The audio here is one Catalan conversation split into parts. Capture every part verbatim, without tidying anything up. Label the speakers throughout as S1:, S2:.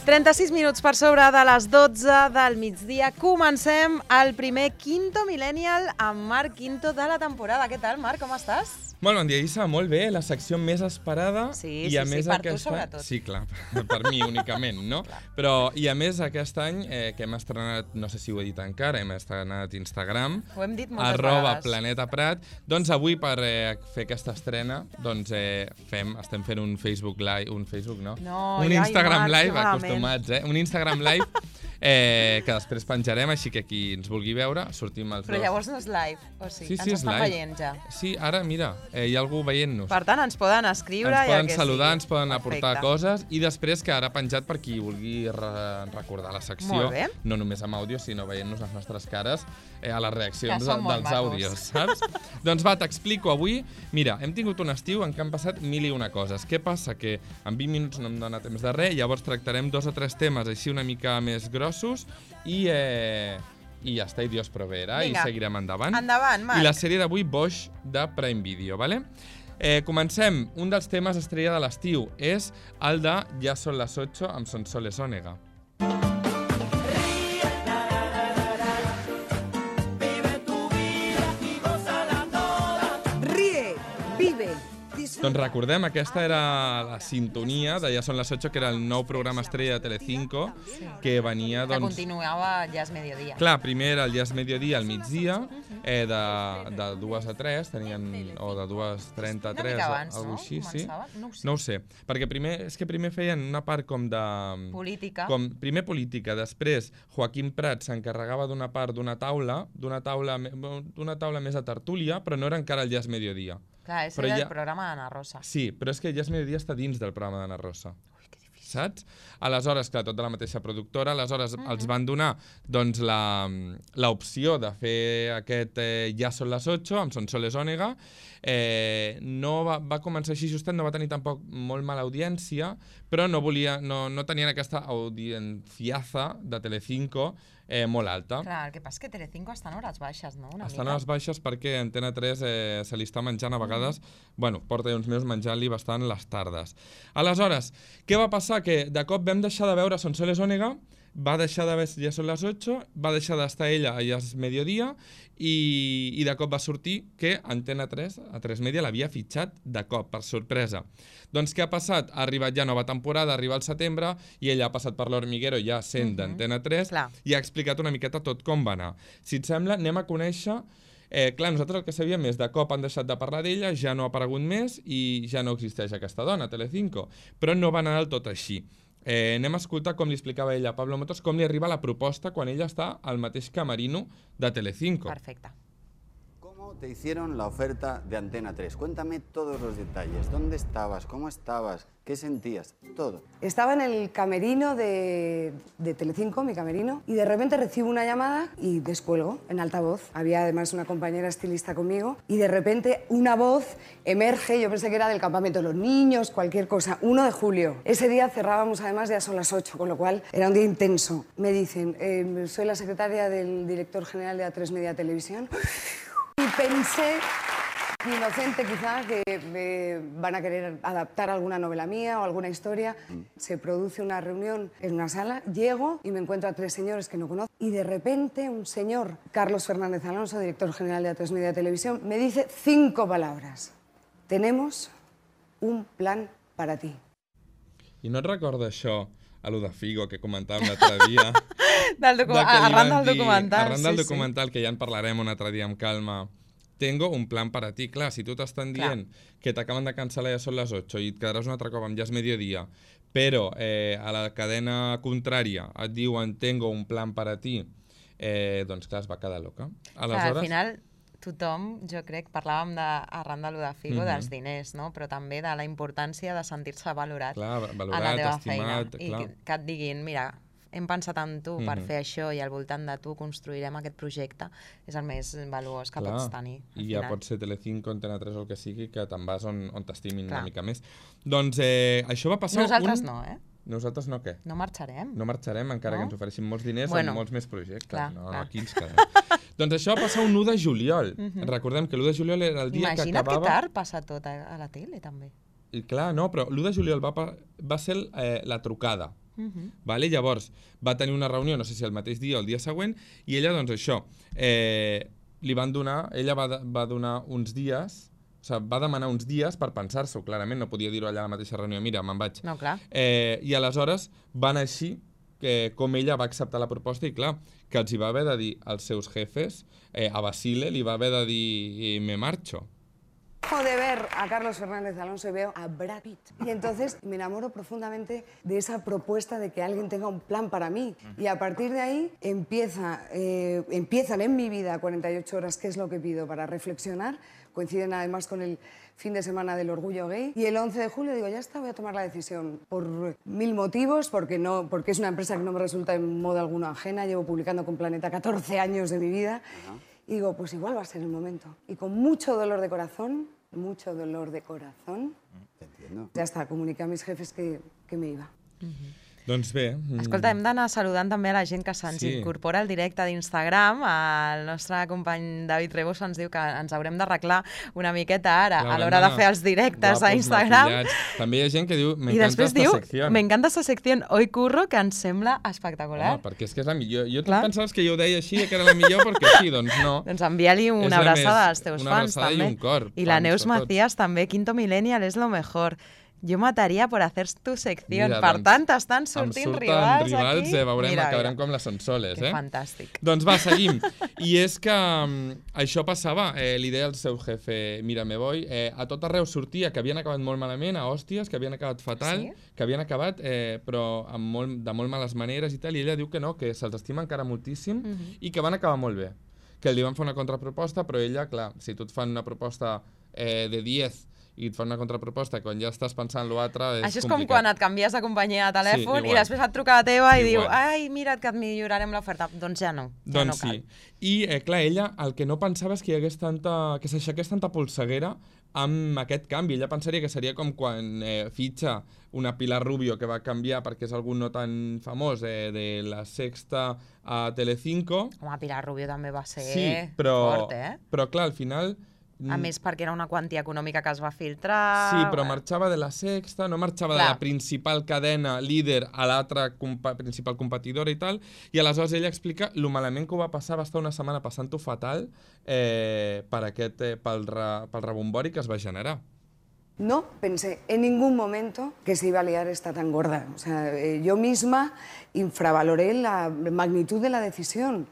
S1: trenta-sis minuts per sobre de les dotze del migdia. Comencem el primer Quinto Millennial amb Marc Quinto de la temporada. Què tal, Marc? Com estàs?
S2: Molt bon dia, Isa. Molt bé. La secció més esperada.
S1: Sí,
S2: i
S1: sí,
S2: a
S1: sí,
S2: més
S1: per
S2: aquest
S1: tu sobretot.
S2: Any... Sí, clar, per mi únicament, no? Però, i a més, aquest any, eh, que hem estrenat, no sé si ho he dit encara, hem estrenat Instagram.
S1: Ho hem dit moltes
S2: arroba
S1: vegades.
S2: Planeta Prat. Doncs avui, per eh, fer aquesta estrena, doncs eh, fem, estem fent un Facebook Live, un Facebook, no?
S1: No,
S2: un
S1: ai,
S2: Instagram
S1: Marc,
S2: Live,
S1: que malament.
S2: acostumats, eh? Un Instagram Live eh, que després penjarem, així que qui ens vulgui veure, sortim els
S1: Però
S2: dos.
S1: llavors no és live, o sigui,
S2: Sí, sí,
S1: ens
S2: és
S1: estan
S2: live.
S1: veient ja.
S2: Sí, ara, mira, eh, hi ha algú veient-nos.
S1: Per tant, ens poden escriure
S2: Ens
S1: i el
S2: poden
S1: que
S2: saludar,
S1: sigui.
S2: ens poden aportar
S1: Perfecte.
S2: coses i després quedarà penjat per qui vulgui re recordar la secció,
S1: Molt bé.
S2: no només amb àudio, sinó veient-nos les nostres cares eh, a les reaccions
S1: Que són
S2: de,
S1: molt
S2: dels
S1: macos.
S2: àudios, saps? Doncs va, t'explico avui. Mira, hem tingut un estiu en què han passat mil i una coses. Què passa? Que en vint minuts no em dona temps de res, llavors tractarem dos o tres temes així una mica més grossos i... Eh, i ja està, i Dios proveerà, i seguirem endavant.
S1: Endavant, Marc.
S2: I la sèrie d'avui, Bosch, de Prime Video, vale? Eh, comencem. Un dels temes estrella de l'estiu és el de Ja són les ocho amb Sonsoles Onega.
S3: Ríe, vive.
S2: Doncs recordem, aquesta era la sintonia de Ja són les ocho, que era el nou programa estrella de Telecinco, que venia,
S1: Que
S2: doncs...
S1: continuava ja és mediodía.
S2: Clar, primer era el Ja és mediodía al migdia, eh, de, de dues a tres, tenien, o de dues trenta a
S1: Una
S2: tres,
S1: mica abans,
S2: alguna
S1: no?
S2: així, sí?
S1: Començava? No ho sé.
S2: No ho sé, perquè primer, és que primer feien una part com de...
S1: Política.
S2: Com, primer política, després Joaquim Prat s'encarregava d'una part d'una taula, d'una taula, me- d'una taula més a tertúlia, però no era encara el Ja és mediodía.
S1: Clar, ese
S2: Però
S1: era
S2: ja-
S1: el programa d'Anna Rosa.
S2: Sí, però és que Ja és mediodía està dins del programa d'Anna Rosa. Saps? Aleshores, clar, tot de la mateixa productora, aleshores mm -hmm. els van donar doncs, la, la opció de fer aquest eh, Ja són les ocho amb Sonsoles Onega. Eh, no va, va començar així justet, no va tenir tampoc molt mala audiència, però no, volia, no, no tenien aquesta audienciaza de Telecinco eh, molt alta.
S1: Clar, el que passa és que Telecinco està en hores baixes, no? Una
S2: Estan
S1: mica.
S2: a les baixes perquè Antena tres eh, se li està menjant a vegades, mm. bueno, porta uns mesos menjant-li bastant les tardes. Aleshores, què va passar? Que de cop vam deixar de veure Sonsoles Onega, va deixar de veure Ja són les ocho, va deixar d'estar ella a Ja és mediodía i, i de cop va sortir que Antena tres, a tres Media, l'havia fitxat de cop, per sorpresa. Doncs què ha passat? Ha arribat ja nova temporada, arriba al setembre, i ella ha passat per l'Hormiguero ja sent
S1: Mhm.
S2: d'Antena tres
S1: Clar.
S2: i ha explicat una miqueta tot com va anar. Si et sembla, anem a conèixer... Eh, clar, nosaltres el que sabíem és de cop han deixat de parlar d'ella, ja no ha aparegut més i ja no existeix aquesta dona, Telecinco. Però no va anar del tot així. Eh, anem a escoltar com li explicava ella a Pablo Motos, com li arriba la proposta quan ella està al mateix camerino de Telecinco.
S1: Perfecte.
S4: ¿Cómo te hicieron la oferta de Antena tres? Cuéntame todos los detalles. ¿Dónde estabas? ¿Cómo estabas? ¿Qué sentías? Todo.
S3: Estaba en el camerino de, de Telecinco, mi camerino, y de repente recibo una llamada y descuelgo en altavoz. Había además una compañera estilista conmigo y de repente una voz emerge, yo pensé que era del campamento de los niños, cualquier cosa, uno de julio. Ese día cerrábamos además, ya son las ocho, con lo cual era un día intenso. Me dicen, eh, soy la secretaria del director general de A tres Media Televisión y pensé... Inocente quizá, que eh, van a querer adaptar alguna novela mía o alguna historia. Se produce una reunión en una sala, llego y me encuentro a tres señores que no conozco y de repente un señor, Carlos Fernández Alonso, director general de A tres Media Televisión, me dice cinco palabras. Tenemos un plan para ti.
S2: I no et recorda això, a lo de Figo, que comentàvem l'altre dia?
S1: Del docu...
S2: De que li
S1: Arran
S2: van
S1: del
S2: dir-
S1: documental.
S2: Arran
S1: sí,
S2: del
S1: sí.
S2: documental, que ja en parlarem un altre dia amb calma. Tengo un plan para ti. Clar, si tu t'estan dient
S1: Clar.
S2: que t'acaben de cancel·lar Ja són les ocho i et quedaràs un altre cop amb Ja és mediodía, però eh, a la cadena contrària et diuen tengo un plan para ti, eh, doncs clar, es va quedar loca.
S1: Clar, al final, tothom, jo crec, parlàvem de, arran de lo de Figo,
S2: Mhm.
S1: dels diners, no? Però també de la importància de sentir-se valorat
S2: Clar,
S1: a la
S2: valorat,
S1: teva feina.
S2: estimat,
S1: I
S2: clar.
S1: que, que et diguin, mira, hem pensat en tu per
S2: Mhm.
S1: fer això i al voltant de tu construirem aquest projecte, és el més valuós que
S2: Clar,
S1: pots tenir. al
S2: I ja
S1: final.
S2: pot ser Telecinco, Antena tres o el que sigui, que te'n vas on, on t'estimin
S1: Clar.
S2: una mica més. Doncs eh, això va passar...
S1: Nosaltres
S2: un...
S1: no, eh?
S2: Nosaltres no què?
S1: No marxarem.
S2: No marxarem encara
S1: No?
S2: que ens ofereixin molts diners
S1: Bueno,
S2: amb molts més projectes.
S1: clar,
S2: no,
S1: clar.
S2: no, aquí ens quedem. Doncs això va passar un u de juliol.
S1: Mhm.
S2: Recordem que l'u de juliol era el dia
S1: Imagina't
S2: que acabava...
S1: que tard passa tot a, a la tele, també.
S2: I clar, no, però l'u de juliol va, pa- va ser eh, la trucada.
S1: Uh-huh.
S2: Vale? Llavors, va tenir una reunió, no sé si el mateix dia o el dia següent, i ella, doncs això, eh, li van donar, ella va, va donar uns dies, o sigui, va demanar uns dies per pensar-s'ho, clarament, no podia dir-ho allà a la mateixa reunió, mira, me'n vaig.
S1: No, clar.
S2: Eh, I aleshores van així, que com ella va acceptar la proposta, i clar, que els hi va haver de dir als seus jefes, eh, a Basile li va haver de dir me marcho.
S3: Dejo de ver a Carlos Fernández Alonso y veo a Brad Pitt. Y entonces me enamoro profundamente de esa propuesta de que alguien tenga un plan para mí. Y a partir de ahí empieza, eh, empiezan en mi vida cuarenta y ocho horas, que es lo que pido para reflexionar. Coinciden además con el fin de semana del orgullo gay. Y el once de julio digo, ya está, voy a tomar la decisión. Por mil motivos, porque, no, porque es una empresa que no me resulta en modo alguno ajena. Llevo publicando con Planeta catorce años de mi vida. Uh-huh. Y digo, pues igual va a ser el momento. Y con mucho dolor de corazón, mucho dolor de corazón,
S4: Te entiendo.
S3: ya está, comuniqué a mis jefes que, que me iba.
S1: Uh-huh.
S2: Doncs bé... Mm.
S1: Escolta, hem d'anar saludant també a la gent que se'ns
S2: Sí.
S1: incorpora al directe d'Instagram. El nostre company David Rebos ens diu que ens haurem d'arreglar una miqueta ara a l'hora de fer els directes a Instagram.
S2: Maquillats. També hi ha gent que diu,
S1: I
S2: m'encanta
S1: després
S2: esta
S1: diu,
S2: secció.
S1: m'encanta esta secció, hoy curro, que ens sembla espectacular.
S2: Home, perquè és que és la millor. Jo
S1: Clar.
S2: tu pensaves que jo ho deia així, que era la millor, perquè sí, doncs no.
S1: Doncs envia-li
S2: És
S1: una
S2: la
S1: abraçada
S2: més-
S1: als teus
S2: una
S1: fans,
S2: abraçada i
S1: també.
S2: un cor,
S1: I la
S2: fans
S1: Neus
S2: a tots.
S1: Macías també, Quinto Millennial és lo mejor. Jo mataria per hacer tu secció.
S2: Mira,
S1: Per
S2: doncs,
S1: tant, estan
S2: em
S1: sortint
S2: surten
S1: rivals,
S2: rivals,
S1: aquí.
S2: eh, veurem,
S1: Mira,
S2: acabarem
S1: mira.
S2: com les Sonsoles,
S1: Que
S2: eh?
S1: fantàstic.
S2: Doncs va, seguim. I és que um, això passava, eh, li deia al seu jefe, mira, me voy, eh, a tot arreu sortia que havien acabat molt malament, a hòsties, que havien acabat fatal,
S1: Sí?
S2: que havien acabat, eh, però amb molt, de molt males maneres i tal, i ella diu que no, que se'ls estima encara moltíssim
S1: Mhm.
S2: i que van acabar molt bé. Que li van fer una contraproposta, però ella, clar, si tu et fan una proposta eh, de diez i et fan una contraproposta, quan ja estàs pensant l'altre, és
S1: Això és com
S2: complicat.
S1: quan et canvies de companyia de telèfon
S2: Sí,
S1: i
S2: igual.
S1: després et truca la teva i diu,
S2: Igual.
S1: ai, mira't que et millorarem l'oferta. Doncs ja no, ja
S2: Doncs
S1: no cal.
S2: sí. I, eh, clar, ella el que no pensava és que hi hagués tanta... que s'aixequés tanta polseguera amb aquest canvi. Ella pensaria que seria com quan eh, fitxa una Pilar Rubio que va canviar perquè és algú no tan famós eh, de la Sexta a Telecinco.
S1: Home, Pilar Rubio també va ser
S2: Sí, però,
S1: fort, eh?
S2: però clar, al final...
S1: A més, perquè era una quantia econòmica que es va filtrar...
S2: Sí, però
S1: bueno.
S2: marxava de la Sexta, no marxava
S1: Clar.
S2: de la principal cadena líder a l'altra compa principal competidora i tal, i aleshores ella explica lo malament que ho va passar, va estar una setmana passant-ho fatal eh, per aquest, eh, pel, re, pel rebombori que es va generar.
S3: No pensé en ningún momento que se iba a liar esta tan gorda. O sea, eh, yo misma infravaloré la magnitud de la decisión.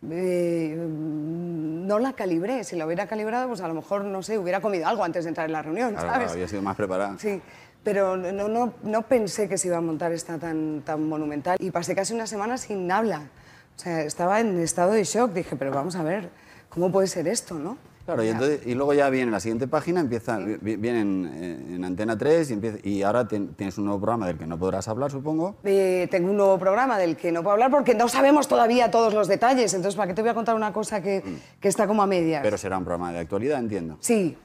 S3: Eh, no la calibré. Si la hubiera calibrado, pues a lo mejor, no sé, hubiera comido algo antes de entrar en la reunión,
S4: Claro,
S3: ¿sabes?
S4: había sido más preparada.
S3: Sí, pero no, no, no pensé que se iba a montar esta tan, tan monumental. Y pasé casi una semana sin habla. O sea, estaba en estado de shock. Dije, pero vamos a ver, ¿cómo puede ser esto, no?
S4: Claro, y, entonces, y luego ya viene la siguiente página, empieza, vi- viene en, eh, en Antena tres y, empieza, y ahora ten- tienes un nuevo programa del que no podrás hablar, supongo.
S3: Eh, tengo un nuevo programa del que no puedo hablar porque no sabemos todavía todos los detalles. Entonces, ¿para qué te voy a contar una cosa que, que está como a medias?
S4: Pero será un programa de actualidad, entiendo.
S3: Sí.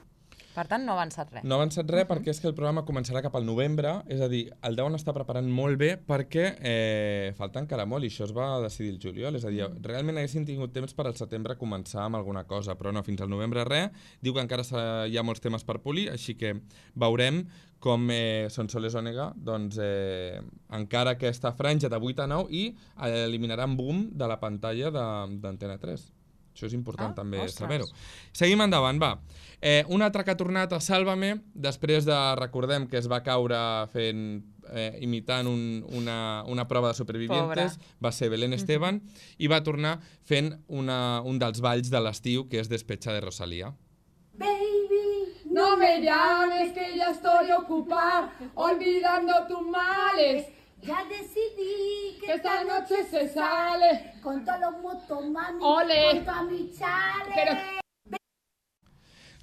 S1: Per tant, no ha avançat res.
S2: No ha avançat res perquè és que el programa començarà cap al novembre, és a dir, el deuen estar preparant molt bé perquè eh, falta encara molt i això es va decidir el juliol, és a dir, realment haguessin tingut temps per al setembre començar amb alguna cosa, però no, fins al novembre res, diu que encara hi ha molts temes per polir, així que veurem com eh, Sonsoles Onega, doncs, eh, encara aquesta franja de vuit a nou i eliminaran boom de la pantalla d'Antena tres. Això és important
S1: Ah,
S2: també
S1: ostres.
S2: saber-ho. Seguim endavant, va. Eh, un altre que ha tornat a Sálvame, després de, recordem que es va caure fent, eh, imitant un, una, una prova de supervivientes,
S1: Pobre.
S2: va ser Belén Esteban, i va tornar fent una, un dels balls de l'estiu, que és Despecha de Rosalía.
S5: Baby, no me llames que ya estoy ocupada, olvidando tus males.
S6: Ya decidí
S5: Que esta noche se sale.
S6: con todos los motos, mami,
S5: Ole.
S6: con toda mi chale.
S5: Pero-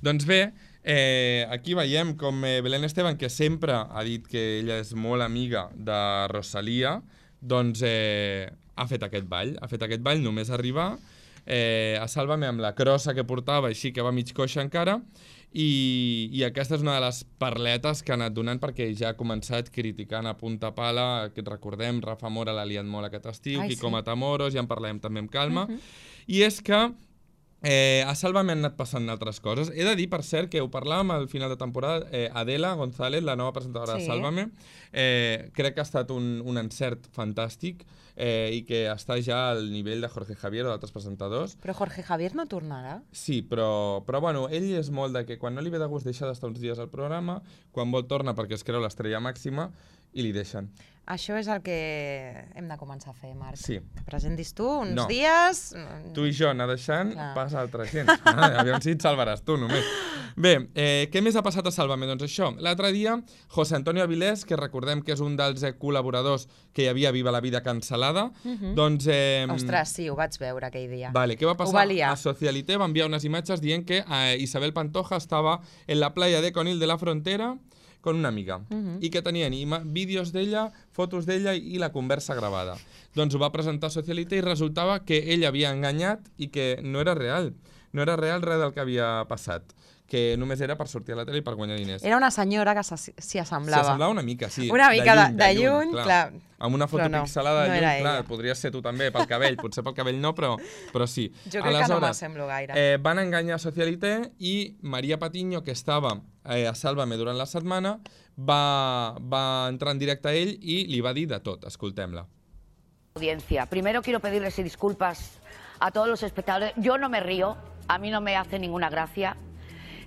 S2: Doncs bé, eh, aquí veiem com eh, Belén Esteban, que sempre ha dit que ella és molt amiga de Rosalía, doncs eh, ha fet aquest ball. Ha fet aquest ball només arribar eh, a Sálvame amb la crossa que portava, així que va mig coixa encara, i, i aquesta és una de les parletes que ha anat donant perquè ja ha començat criticant a punta pala, que recordem, Rafa Mora l'ha liat molt aquest estiu,
S1: Ai,
S2: Kiko
S1: sí.
S2: Matamoros, ja en parlem també amb calma, i és que Eh, a Sálvame han anat passant altres coses. He de dir, per cert, que ho parlàvem al final de temporada, eh, Adela González, la nova presentadora
S1: Sí.
S2: de Sálvame, eh, crec que ha estat un, un encert fantàstic eh, i que està ja al nivell de Jorge Javier o d'altres presentadors.
S1: Però Jorge Javier no tornarà?
S2: Sí, però, però bueno, ell és molt de que quan no li ve de gust deixa d'estar uns dies al programa, quan vol torna perquè es creu l'estrella màxima i li deixen.
S1: Això és el que hem de començar a fer, Marc.
S2: Sí.
S1: Presentis tu uns
S2: No.
S1: dies...
S2: Tu i jo anar deixant,
S1: Clar.
S2: passa al tres-cents. Ah, aviam si et salvaràs tu, només. Bé, eh, què més ha passat a Sálvame? Doncs això, l'altre dia, José Antonio Avilés, que recordem que és un dels eh, col·laboradors que hi havia a Viva la Vida cancel·lada, doncs... Eh,
S1: Ostres, sí, ho vaig veure aquell dia.
S2: Vale, què va
S1: Ho
S2: passar?
S1: va liar.
S2: A Socialité va enviar unes imatges dient que eh, Isabel Pantoja estava en la playa de Conil de la Frontera con una amiga i que tenien ima- vídeos d'ella, fotos d'ella i la conversa gravada. Doncs ho va presentar a Socialité i resultava que ell havia enganyat i que no era real. No era real res del que havia passat, que només era per sortir a la tele i per guanyar diners.
S1: Era una senyora que s'hi s'hi assemblava.
S2: S'assemblava una mica, sí.
S1: Una mica de- de lluny, clar.
S2: Amb una foto
S1: Però no,
S2: pixelada de
S1: no
S2: lluny,
S1: era
S2: clar,
S1: ella.
S2: podria ser tu també, pel cabell. Potser pel cabell no, però, però sí.
S1: Jo crec que no m'assemblo gaire.
S2: Eh, van enganyar Socialité i Maria Patiño, que estava eh, a Sálvame durant la setmana, va, va entrar en directe a ell i li va dir de tot. Escoltem-la.
S7: Audiencia. Primero quiero pedirles disculpas a todos los espectadores. Yo no me río, a mí no me hace ninguna gracia.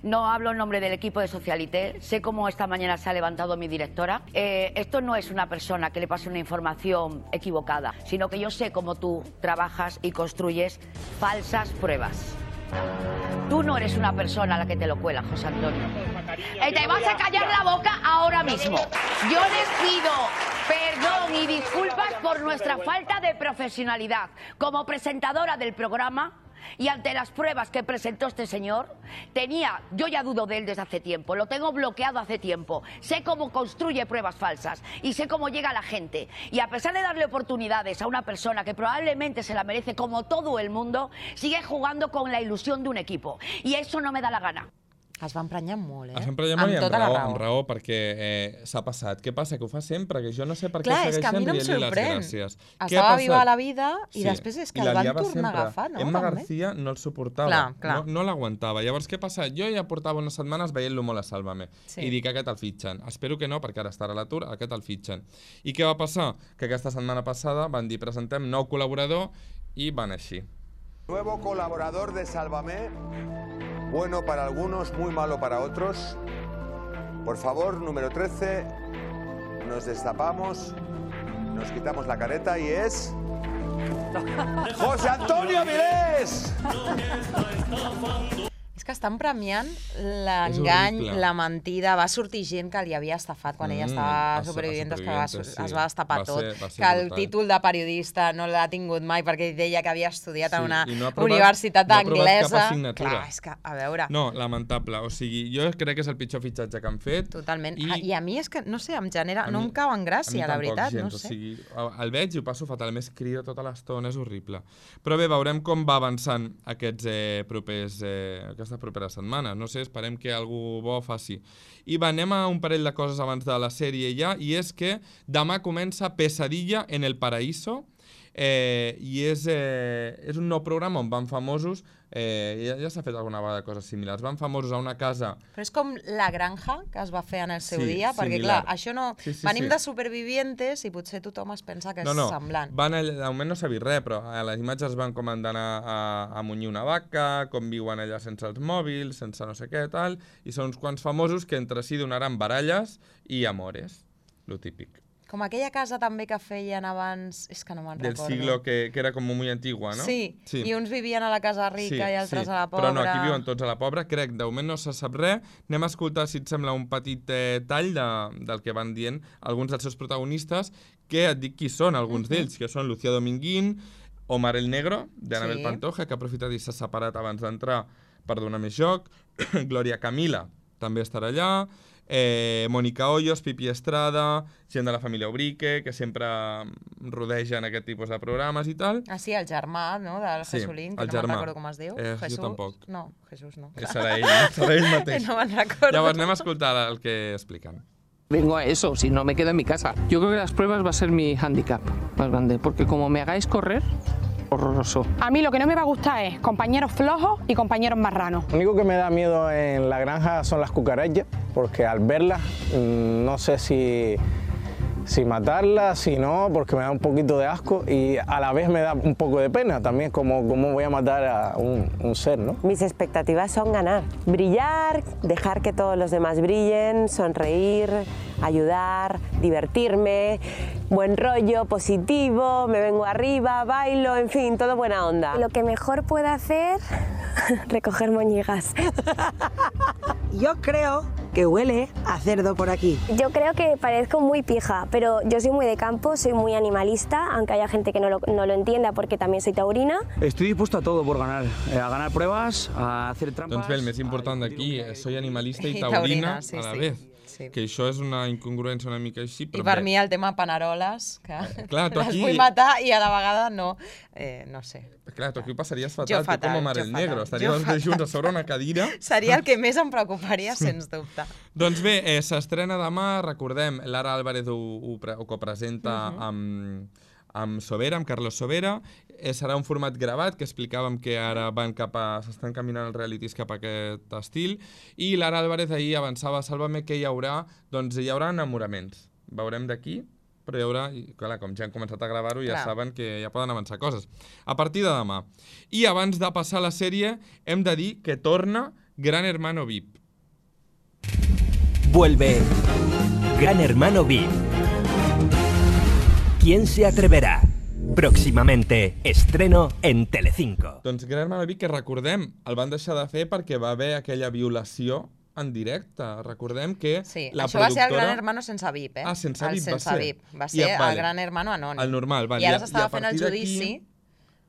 S7: No hablo en nombre del equipo de Socialité. Sé cómo esta mañana se ha levantado mi directora. Eh, esto no es una persona que le pase una información equivocada, sino que yo sé cómo tú trabajas y construyes falsas pruebas. Tú no eres una persona a la que te lo cuela, José Antonio. Eh, te vas a callar la boca ahora mismo. Yo les pido perdón y disculpas por nuestra falta de profesionalidad como presentadora del programa. Y ante las pruebas que presentó este señor, tenía, yo ya dudo de él desde hace tiempo, lo tengo bloqueado hace tiempo, sé cómo construye pruebas falsas y sé cómo llega a la gente. Y a pesar de darle oportunidades a una persona que probablemente se la merece como todo el mundo, sigue jugando con la ilusión de un equipo. Y eso no me da la gana.
S1: Es va emprenyar molt, eh?
S2: Es va emprenyar molt i amb
S1: tota la
S2: raó,
S1: raó.
S2: amb raó, perquè eh, s'ha passat. Què passa? Que ho fa sempre, que jo no sé per què
S1: Clar, és que a mi
S2: segueixen
S1: no em
S2: dient-li les
S1: sorprèn.
S2: gràcies. Què ha
S1: Estava viva
S2: passat?
S1: a la vida i
S2: Sí,
S1: després és que
S2: i
S1: el
S2: la
S1: van
S2: liava
S1: tornar a
S2: sempre.
S1: agafar, no?
S2: Emma
S1: També.
S2: García no el suportava,
S1: Clar, clar.
S2: no, no l'aguantava. Llavors, què passa? Jo ja portava unes setmanes veient-lo molt a Sálvame
S1: Sí.
S2: i dic, aquest el fitxen. Espero que no, perquè ara estarà a l'atur, aquest el fitxen. I què va passar? Que aquesta setmana passada van dir, presentem nou col·laborador i van així.
S8: Nuevo colaborador de Sálvame, bueno para algunos, muy malo para otros. Por favor, número trece, nos destapamos, nos quitamos la careta y es... ¡José Antonio Avilés!
S1: És que estan premiant l'engany,
S2: horrible.
S1: la mentida. Va sortir gent que li havia estafat quan ella
S2: Mm,
S1: estava
S2: a- a
S1: supervivint, que va,
S2: Supervivientes,
S1: es
S2: sí.
S1: va destapar
S2: Va
S1: tot.
S2: ser- va ser
S1: que el
S2: brutal.
S1: títol de periodista no l'ha tingut mai perquè ell deia que havia estudiat en
S2: Sí,
S1: una
S2: i no ha aprovat-
S1: universitat
S2: no ha aprovat
S1: anglesa.
S2: cap assignatura.
S1: Clar, és que, a veure...
S2: No, lamentable. O sigui, jo crec que és el pitjor fitxatge que han fet.
S1: Totalment.
S2: I,
S1: I, I a mi és que, no sé, em genera...
S2: A
S1: no
S2: mi-
S1: em cau en
S2: a mi
S1: gràcia, la
S2: tampoc,
S1: veritat,
S2: gens,
S1: no
S2: O
S1: sé.
S2: sigui, el veig i ho passo fatal. A més, crida tota l'estona, és horrible. Però bé, veurem com va avançant aquests eh, propers, eh, aquesta propera setmana. No sé, esperem que algú bo faci. I va, anem a un parell de coses abans de la sèrie ja, i és que demà comença Pesadilla en el Paraíso, eh, i és, eh, és un nou programa on van famosos, eh, ja, ja s'ha fet alguna vegada coses similars, van famosos a una casa...
S1: Però és com La Granja, que es va fer en el seu
S2: Sí,
S1: dia, perquè,
S2: similar.
S1: clar, això no...
S2: Sí, sí,
S1: Venim
S2: sí.
S1: de supervivientes i potser tothom es pensa que és
S2: No, no,
S1: semblant.
S2: van allà, de moment no s'ha vist res, però a les imatges van com han d'anar a, a munyir una vaca, com viuen allà sense els mòbils, sense no sé què, tal, i són uns quants famosos que entre si donaran baralles i amores, lo típic.
S1: Com aquella casa també que feien abans... És que no me'n
S2: Del
S1: recordo.
S2: siglo que, que era com muy antigua, no?
S1: Sí, i uns vivien a la casa rica i altres a la pobra.
S2: Però no, aquí viuen tots a la pobra. Crec, de moment no se sap res. Anem a escoltar, si et sembla, un petit eh, tall de, del que van dient alguns dels seus protagonistes, que et dic qui són, alguns uh -huh. d'ells, que són Lucía Dominguín, Omar el Negro, d'Anabel
S1: Sí.
S2: Pantoja, que ha aprofitat i s'ha separat abans d'entrar per donar més joc, Glòria Camila també estarà allà, eh, Mónica Hoyos, Pipi Estrada, gent de la família Ubrique, que sempre rodegen aquest tipus de programes i tal.
S1: Ah, sí, el germà, no?, del
S2: Sí,
S1: Jesulín, que
S2: el
S1: no me'n
S2: germà.
S1: recordo com es diu.
S2: Eh, jo
S1: Jesús?
S2: tampoc.
S1: No, Jesús no.
S2: Eh, serà ell, no? Serà ell mateix.
S1: No me'n recordo.
S2: Llavors anem a escoltar el que expliquen.
S9: Vengo a eso, si no me quedo en mi casa. Yo creo que las pruebas va a ser mi hándicap más grande, porque como me hagáis correr, horroroso.
S5: A mí lo que no me va a gustar es compañeros flojos y compañeros marranos.
S10: Lo único que me da miedo en la granja son las cucarachas, porque al verlas no sé si, si matarlas, si no, porque me da un poquito de asco y a la vez me da un poco de pena también, como cómo voy a matar a un, un ser, ¿no?
S11: Mis expectativas son ganar, brillar, dejar que todos los demás brillen, sonreír, ayudar, divertirme, buen rollo, positivo, me vengo arriba, bailo, en fin, todo buena onda.
S12: Lo que mejor puedo hacer, recoger moñigas.
S13: Yo creo que huele a cerdo por aquí.
S12: Yo creo que parezco muy pija, pero yo soy muy de campo, soy muy animalista, aunque haya gente que no lo, no lo entienda porque también soy taurina.
S14: Estoy dispuesto a todo por ganar, eh, a ganar pruebas, a hacer trampas...
S2: Doncs bé, el més important d'aquí, soy animalista i taurina,
S1: sí,
S2: a la
S1: sí.
S2: vez.
S1: Sí.
S2: Que això és una incongruència una mica així, però
S1: I per
S2: bé.
S1: mi el tema paneroles, que
S2: Clar, tu
S1: les
S2: aquí-
S1: vull matar i a la vegada no. Eh, no sé.
S2: Clar, tu aquí ho passaries
S1: Jo
S2: fatal,
S1: fatal,
S2: tu com a Mare
S1: jo
S2: el Negro.
S1: fatal,
S2: Estaríeu
S1: jo
S2: els dos
S1: fatal.
S2: junts a sobre una cadira.
S1: Seria el que més em preocuparia, sens dubte.
S2: Doncs bé, eh, s'estrena demà, recordem, Lara Álvarez ho, ho, pre- ho copresenta
S1: Mhm.
S2: amb, amb Sobera, amb Carlos Sobera. Eh, serà un format gravat, que explicàvem que ara van cap a, s'estan caminant els realities cap a aquest estil. I Lara Álvarez ahir avançava a Sálvame que hi haurà, doncs hi haurà enamoraments. Veurem d'aquí, però hi haurà, i, clar, com ja han començat a gravar-ho, ja
S1: Clar.
S2: saben que ja poden avançar coses. A partir de demà. I abans de passar a la sèrie, hem de dir que torna Gran Hermano V I P.
S15: Vuelve Gran Hermano V I P. ¿Quién se atreverá? Próximamente, estreno en Telecinco.
S2: Doncs Gran Hermano V I P, que recordem, el van deixar de fer perquè va haver aquella violació en directe. Recordem que
S1: Sí,
S2: la
S1: això va ser el
S2: productora...
S1: Gran Hermano sense V I P, eh?
S2: Ah, sense
S1: el
S2: V I P va
S1: sense
S2: ser.
S1: V I P. Va
S2: I,
S1: ser
S2: vale.
S1: el Gran Hermano anònim.
S2: El normal, vale.
S1: I ara
S2: I a-
S1: s'estava
S2: i a
S1: fent el
S2: partir d'aquí-
S1: judici.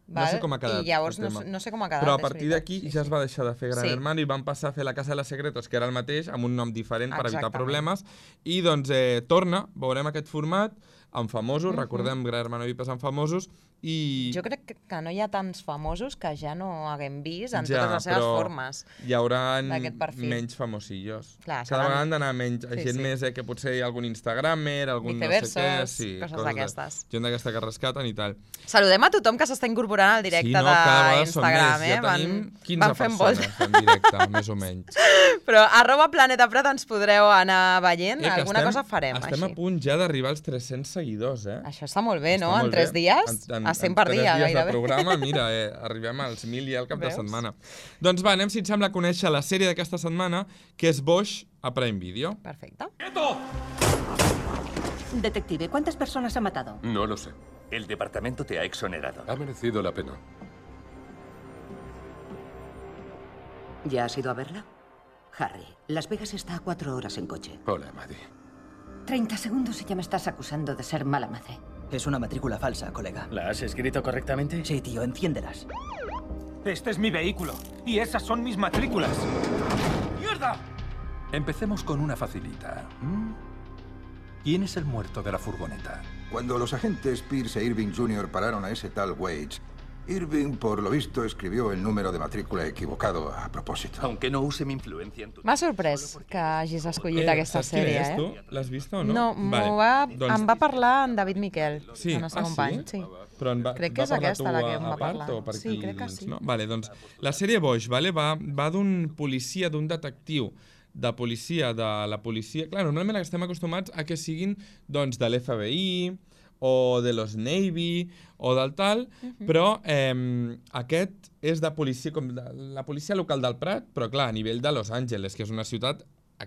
S2: No sé com ha quedat.
S1: I llavors
S2: el
S1: no,
S2: tema.
S1: no sé com ha quedat.
S2: Però a
S1: és
S2: partir
S1: veritat.
S2: d'aquí ja es va deixar de fer Gran
S1: Sí.
S2: Hermano i van passar a fer la Casa de los Secretos, que era el mateix, amb un nom diferent per evitar
S1: Exactament.
S2: problemes. I doncs eh, torna, veurem aquest format, amb famosos,
S1: Mhm.
S2: recordem Gran Hermano V I P és amb famosos, i...
S1: Jo crec que, que no hi ha tants famosos que ja no haguem vist en
S2: Ja,
S1: totes les seves
S2: però
S1: formes.
S2: hi haurà
S1: d'aquest perfil.
S2: menys famosillos.
S1: Clar,
S2: Cada
S1: seran-
S2: vegada han d'anar menys,
S1: Sí,
S2: gent
S1: sí.
S2: més, eh, que potser hi ha algun Instagramer, algun no sé què,
S1: Viceverses,
S2: sí,
S1: coses
S2: de-
S1: d'aquestes.
S2: gent d'aquesta que rescaten i tal.
S1: Saludem a tothom que s'està incorporant al directe
S2: Sí, no, cada vegada són
S1: d'Instagram.
S2: més.
S1: Eh?
S2: Ja
S1: Van,
S2: tenim quinze
S1: van fent
S2: persones
S1: volta.
S2: en directe, més o menys.
S1: Però arroba Planeta Prat ens podreu anar veient.
S2: Eh, que
S1: Alguna
S2: estem-
S1: cosa farem,
S2: Estem
S1: així.
S2: a punt ja d'arribar als tres-cents seguidors, eh?
S1: Això està molt bé, no?
S2: Està
S1: En
S2: molt
S1: tres
S2: bé.
S1: dies,
S2: En- en-
S1: a cent
S2: en
S1: per
S2: tres
S1: dia,
S2: dies
S1: gairebé.
S2: de programa, mira, eh, arribem als mil ja al cap
S1: Veus?
S2: de setmana. Doncs va, anem, si et sembla, a conèixer la sèrie d'aquesta setmana, que és Bosch a Prime Video.
S1: Perfecte.
S16: Detective, ¿cuántas personas ha matado?
S17: No lo sé. El departamento te ha exonerado. Ha merecido la pena.
S16: ¿Ya has ido a verla? Harry, Las Vegas está a cuatro horas en coche.
S17: Hola, Maddie.
S16: Treinta segundos y ya me estás acusando de ser mala madre.
S18: Es una matrícula falsa, colega.
S19: ¿La has escrito correctamente?
S18: Sí, tío, enciéndelas.
S19: Este es mi vehículo y esas son mis matrículas. ¡Mierda!
S20: Empecemos con una facilita. ¿Mm? ¿Quién es el muerto de la furgoneta?
S21: Cuando los agentes Pierce e Irving junior pararon a ese tal Waits, Irving, por lo visto, escribió el número de matrícula equivocado a propósito.
S17: Aunque no use mi influencia en tu...
S1: M'ha sorprès que hagis escollit aquesta
S2: saps quina
S1: sèrie,
S2: és,
S1: eh?
S2: tu? L'has vist o no?
S1: No,
S2: Vale.
S1: va,
S2: Doncs-
S1: em va parlar en David Miquel,
S2: Sí,
S1: el nostre
S2: ah,
S1: company.
S2: sí?
S1: Sí.
S2: Però en va,
S1: Crec que
S2: va
S1: és
S2: parlar
S1: aquesta
S2: tu
S1: la que
S2: a-
S1: em
S2: a
S1: va
S2: part,
S1: parlar.
S2: o per
S1: Sí,
S2: aquí
S1: crec que
S2: dins,
S1: sí.
S2: No? Vale, doncs, la sèrie Bosch vale, va, va d'un policia, d'un detectiu de policia, de la policia... Clar, normalment estem acostumats a que siguin doncs, de l'F B I o de los Navy o del tal,
S1: Mhm.
S2: però eh, aquest és de policia, com de, la policia local del Prat, però clar, a nivell de Los Angeles, que és una ciutat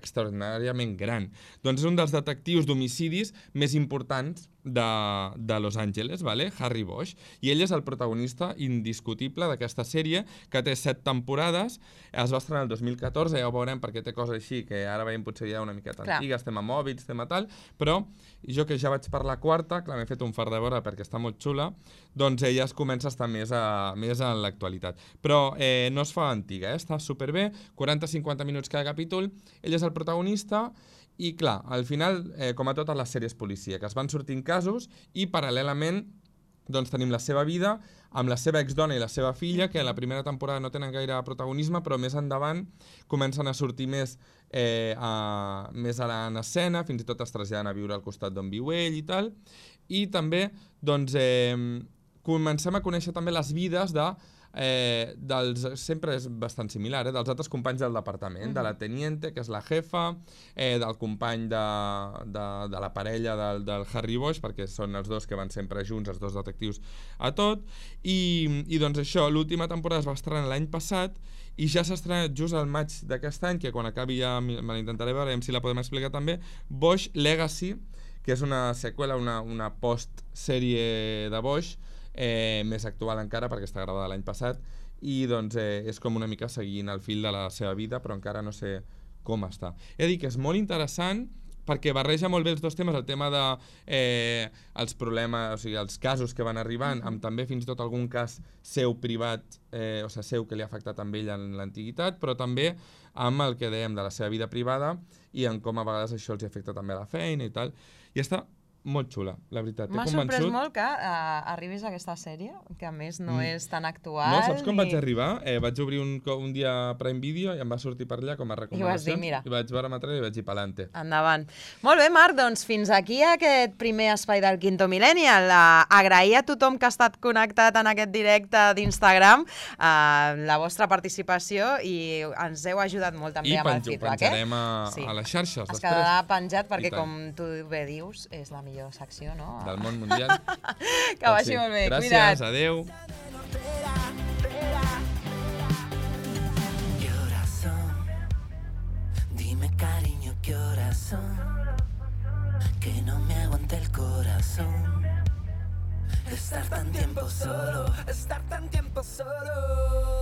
S2: extraordinàriament gran. Doncs és un dels detectius d'homicidis més importants de, de Los Angeles, vale? Harry Bosch. I ell és el protagonista indiscutible d'aquesta sèrie, que té set temporades, es va estrenar el dos mil catorze, ja ho veurem perquè té coses així, que ara veiem potser ja una miqueta
S1: Clar.
S2: antigues, tema mòbils, tema tal, però jo que ja vaig per la quarta, clar, m'he fet un fart de veure perquè està molt xula, doncs ella es comença a estar més, a, més en l'actualitat. Però eh, no es fa antiga, eh? Està superbé, quaranta a cinquanta minuts cada capítol, ell és el protagonista, i clar, al final, eh, com a totes les sèries policia, que es van sortint casos i paral·lelament doncs tenim la seva vida amb la seva exdona i la seva filla, que a la primera temporada no tenen gaire protagonisme, però més endavant comencen a sortir més, eh, a, més a la, en escena, fins i tot es traslladen a viure al costat d'on viu ell i tal. I també, doncs, eh, comencem a conèixer també les vides de Eh, dels, sempre és bastant similar, eh, dels altres companys del departament, uh-huh. de la teniente, que és la jefa, eh, del company de, de, de la parella del, del Harry Bosch, perquè són els dos que van sempre junts, els dos detectius a tot, i, i doncs això, l'última temporada es va estrenar l'any passat, i ja s'ha estrenat just al maig d'aquest any, que quan acabi ja me l'intentaré veure, si la podem explicar també, Bosch Legacy, que és una seqüela, una, una post-sèrie de Bosch, Eh, més actual encara perquè està gravada l'any passat i doncs eh, és com una mica seguint el fil de la seva vida, però encara no sé com està. He de dir que és molt interessant perquè barreja molt bé els dos temes, el tema de eh, els problemes, o sigui, els casos que van arribant, mm-hmm. amb també fins i tot algun cas seu privat, eh, o sigui, seu que li ha afectat amb ell en l'antiguitat, però també amb el que dèiem de la seva vida privada i en com a vegades això els afecta també a la feina i tal. I està molt xula, la veritat.
S1: M'ha sorprès molt que uh, arribis a aquesta sèrie, que a més no mm. és tan actual.
S2: No, saps com ni... vaig arribar? Eh, vaig obrir un, un dia Prime Video i em va sortir per allà com a recomanacions. I
S1: vas dir, mira.
S2: I vaig veure material i vaig dir pa'lante.
S1: Endavant. Molt bé, Marc, doncs fins aquí aquest primer espai del Quinto Millennial. Uh, agrair a tothom que ha estat connectat en aquest directe d'Instagram uh, la vostra participació i ens heu ajudat molt també
S2: I
S1: amb el feedback.
S2: I penjarem a,
S1: sí.
S2: a les xarxes
S1: es
S2: després.
S1: Es quedarà penjat perquè, com tu bé dius, és la millor secció, no?
S2: Del món mundial.
S1: Que vagi sí. molt bé,
S2: gràcies,
S1: cuida't.
S2: Adéu.
S4: ¿Qué horas son? Dime, cariño, ¿qué horas son? Que no me aguante el corazón. Estar tan tiempo solo, estar tan tiempo solo.